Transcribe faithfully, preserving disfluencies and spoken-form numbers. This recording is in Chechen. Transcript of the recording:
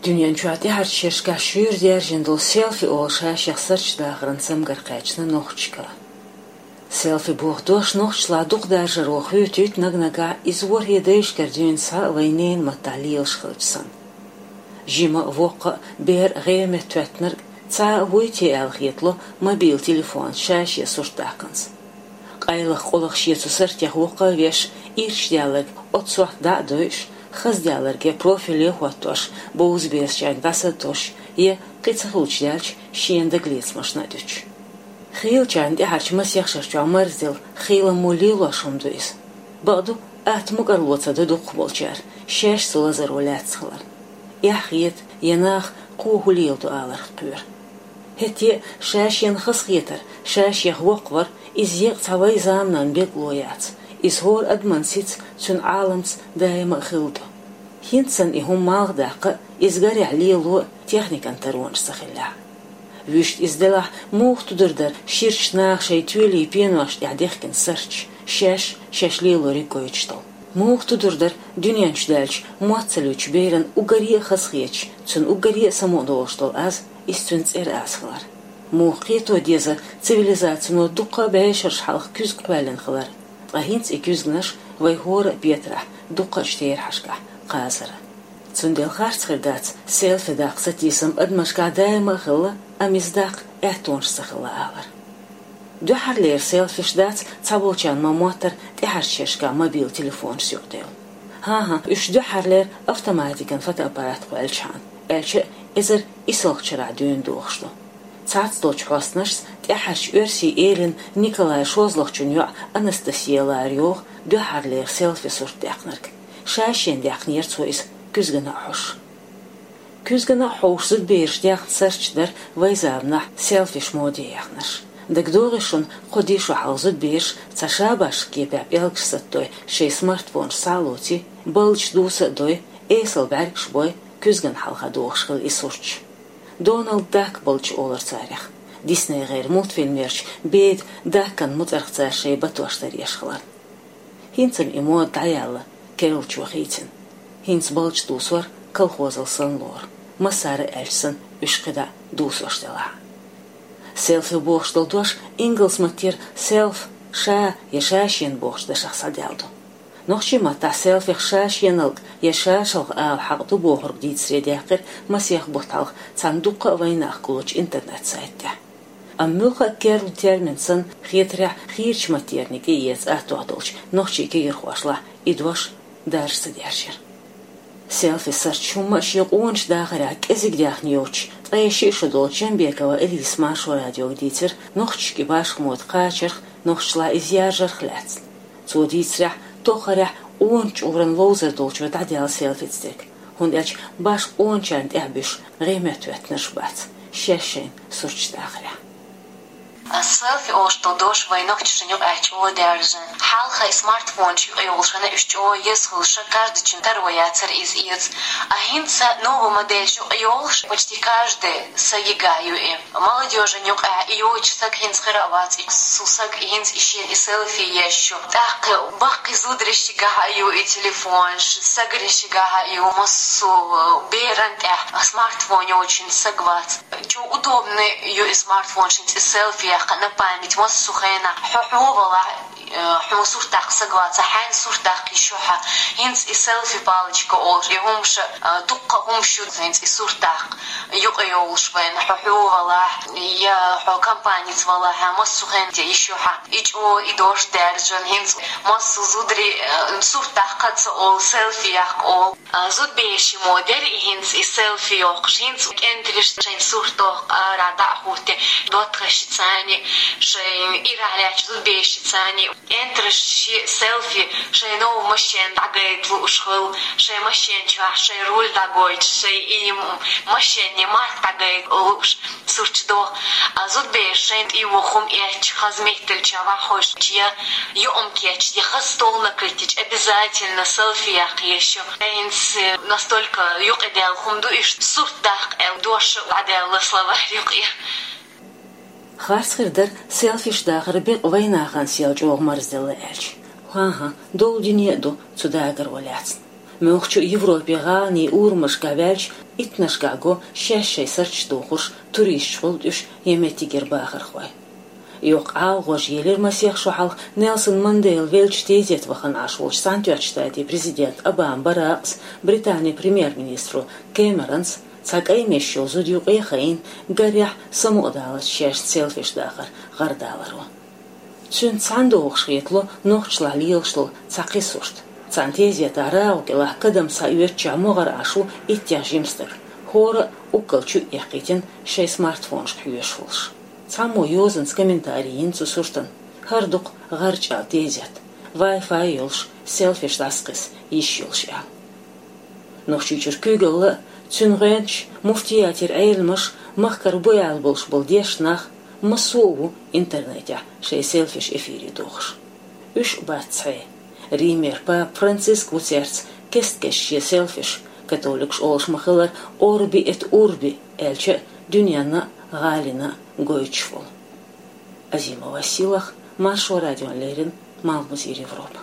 Дуьнен чохь тӀаьхьарчу шерашкахь шуьйра даьржина долу селфи олуш шаьш сарчу дахаран цамгар кхаьчна нохчашкара. Селфи боху дош нохчашлахь дукха даржаро хуьйцуьйту, наг-нагахь иза ворхӀе дайшкара дуьйна схьа а вайн ненан маттахь лелаш хилча санна. Жима а, воккха а, бер а, гӀеметтахӀоьттинарг цхьа а вуй те аьлла хетало мобил телефонца шаьш сурт даьккхинарг. Къайлаха къолах шен цу сартех воккха а веш, ирча даьлларг оццу сохьта дӀа а дойуш, хаза даьлларге профиле а хӀоттош, бовза берашна дӀаса а тосуш, я кхин ца хуьлуш даьлча, шена дагалецамашна а дуьтуш. Хийлачарна тӀаьхьарчу масех шарчохь марздина хийламо лелош хӀума ду иза. Бакъду, атта мукӀарло ца до дукхахболчара, шаьш цу лазаро лаьцна хиларна. Эхь хета, я наха кхо хӀун леладо аларх кхоьру. ХӀетте а шаьш шена хазахетар, шаьш шех воккхавар, иза еккъа цхьа вайн заманан бегало яц, иза хӀора адаман сица, цуьнан Ӏаламца даима а хилла ду. ХӀинца санна и хӀума малхадаккха а, иза гарехь лело а техникан таронаш ца хиллехь. Вуьшта иза делахь, муха тудур дара ширачу наха шайн тоьлий пеношна тӀехь дехкина сарташ, шаьш шаьш лелориг гойтуш долу? Муха тудур дара дуьнен чу даьлча мотт ца луьйчу беран уггаре а хазахеташ, цуьнан уггаре а самукъадолуш долу аз, иза цуьнан цӀера аз хилар? Муха кхето дезара цивилизацино дуккха а бӀешераш хьалха куьзга кхоьллина хилар, ткъа хӀинца и куьзганаш вайн хӀора а петарехь дуккхачу терахьашкахь кхазара? Цундела харц хир дац селфи даккха сатийсам адамашкахь даима а хилла, амма иза даккха аьттонаш ца хилла алар. Дуьххьарлера селфиш дац цхьаболчарна ма-моттара тӀаьхьарчу шерашкахь мобил телефонашца юкъадевлла. ХӀан-хӀа, уьш дуьххьарлера автоматикан фотоаппарат кхоьллинчхьана, аьлча а, эзар исалгӀачу шарахь дуьйна дохуш ду. Цхьацца долчу хьостанашца тӀаьххьарчу оьрсийн элина Николай шозлагӀчун йоӀ Анастасия лара йогӀу дуьххьарлера селфи сурт даьккхинарг. Шаьш шена даьккхинера цо иза куьзгана а хьоьжуш. Куьзгана а хьоьжуш зудабераш даьккхина сарташ дара вайн заманахь селфиш моде яьхнарш. ДагадогӀий шуна, кхо-деа шо хьалха зудабераш цхьа шабашкан кепехь пӀелгаш саттадой, шайн смартфонаш схьа а лоций, балдаш дуса а дой, эсала бӀаьргаш бой, куьзгана хьалха дохуш хилла и сурташ. Доналд Дак балдаш олура царех. ДиснейгӀеран мультфильмерчу Беда Дакан муцӀарх цара шайн батош даръеш хиларна. ХӀинца-м и мода дӀаяьлла, керлачо хийцина. ХӀинца балдаш дусор колхозал санна лору, массара а аьлча санна, уьш кхидӀа дусош делахь а. Селфи бохуш долу дош ингалс маттера self, ша я ша шена бохучу дашах схьадаьлла ду. Нохчийн маттахь селфих ша шеналг я ша шалха ала хьакъ ду бохург дийцаре даьккхира масех бутт хьалха цхьана дуккха а вайнах гуллучу интернет-сайт тӀехь. Амма муьлхха а керла термин санна, хетарехь, хийрачу маттерниг тӀеэца аттох долчу нохчийн кегийрхошлахь и дош даржа ца дерзира. Селфи сарташ хӀумма а шен къоначу дахарехь кӀезиг даьхна йоцуш, ткъе шиъ шо долчу Джамбекова Элиса Маршо радиога дийцира нохчашкара башха мода кхачарх, нохчашлахь иза яржарх лаьцна. Цо дийцарехь, тоххарехь къоначу чкъуран ловзар долчо дӀадаьлла селфица дерг, хӀунда аьлча башха къоначарна тӀаьхьа буьсуш гӀеметтахӀоьттинарш бац шаьш шайна сурташ дахарехь. А селфи олуш долу дош вайн нохчашна юкъахь чӀогӀа даьржина. Хьалха и смартфонаш юкъайолуш хилла, уьш чӀогӀа еза хуьлуш, каждачун таро яцара иза эца. А хӀинца новая модель юкъайолуш, почти каждый са йигахь ю и. Молодёжан юкъахь и йоцуш саг хӀинца хир а вац, и цу сага хӀинца и шена и селфи еш ю. ТӀаккха баккхий зударийн шигахь а ю и телефонаш, сагарийн шигахь а ю, массо а беран тӀехь смартфон йоцуш саг вац. Чу удобный ю и смартфон, шен цӀе селфи яккха на память, массо а хенахь хьо хьо валахь, э, хьуна сурт даккха саг вацахь, хьайна сурт даккха йиш ю хьан. ХӀинца и селфи палочка олуш, и хӀумаш, э, дуккха хӀумаш ю хӀинца и сурт даккха юкъайолуш вайна, хьо хьо валахь, я хьо компаница валахь, массо а хенахь йиш ю хьан. И чӀо, и дош даьржина, хӀинца массо а зударий, э, сурт даккха ца олу, селфи яккха олу. А, зудбераш мо дерриг хӀинца и селфи йоккхуш, хӀинца кӀентарш шайн сурт доккху, ара дӀа а хӀуттий, доттагӀашца цхьаьний, шайн ирахь лаьттачу зудбершца цхьаьний. КӀентарш шен селфи шайн нову машен дӀагайта лууш хилла, шайн машен чохь шайн руль дӀагойтуш, шайн и м-, машенний марка дӀагайта лууш. Сурташ доху. А зудбераш шайн тӀе йоху хӀума эцча, хаза метталча ваххойш я юкъам кечча, я хаза стол накрыть йича, обязательно селфи яккха еш ю. ХӀинца настолько юкъадаьлла хӀума ду, иштта сурт даккха аьлла дош дӀадаьлла словарь юкъе. Харц хир дара селфиш дахар бекъа вайнахана сел чӀогӀа марзделла аьлча. ХӀан-хӀа, долу дуьне а ду цу дагаро лаьцна. Муьлххачу Европе гӀаланийн урамашкахь ваьлча, Иттанашкахь го шаьш шайн сурташ дохош, туристаш хуьлу уьш я меттигера бахархой. Йоккха Ӏалагӏожа елира масех шо хьалха Нелсон Манделла веллачу тезета вахана Ӏаш волчу Цхьаьнатоьхначу Штатийн президента Обама Баракъас, Британин премьер-министро Кэмеронс, цхьа кӀайн меш йолу зуда юкъе а хайна, гарехь, самукъадаларца шаьшца селфиш дахар гӀарадаларо. Цуьнца цхьаьна догӀуш хетало нохчашлахь лелаш долу цхьа кхин сурт. Цхьана тезетахь рагӀу кӀелахь кадам схьаоьцучохь могӀара Ӏаш ву иттех жима стаг, хӀора а уггар чу а эккхийтина, шайн смартфонашка хьоьжуш волуш. Цхьаммо йозанца комментарий йина цу суртана: «ХӀара ду-кх гӀарчӀ аьлла тезет, Wi-Fi йолуш, селфиш дӀасакхиса йиш йолуш», аьлла. Нохчийчуьра куьйгалла а, цуьнан гӀоьнчаш, муфтиятера Ӏеламаш, махкара бу аьлла болуш болу дешна нах, массо а ву интернетехь шайн селфиш эфире дохуш. Уьш а бац цхьа. Римера папа Франциск ву цаьрца кест-кеста шен селфиш, католикаш олуш ма-хиллара, Орби эт Урби аьлча а, дуьненна а, гӀалина а гойтуш волу. Азимова Силах, Маршо радиона леррина, Малхбузера Европа.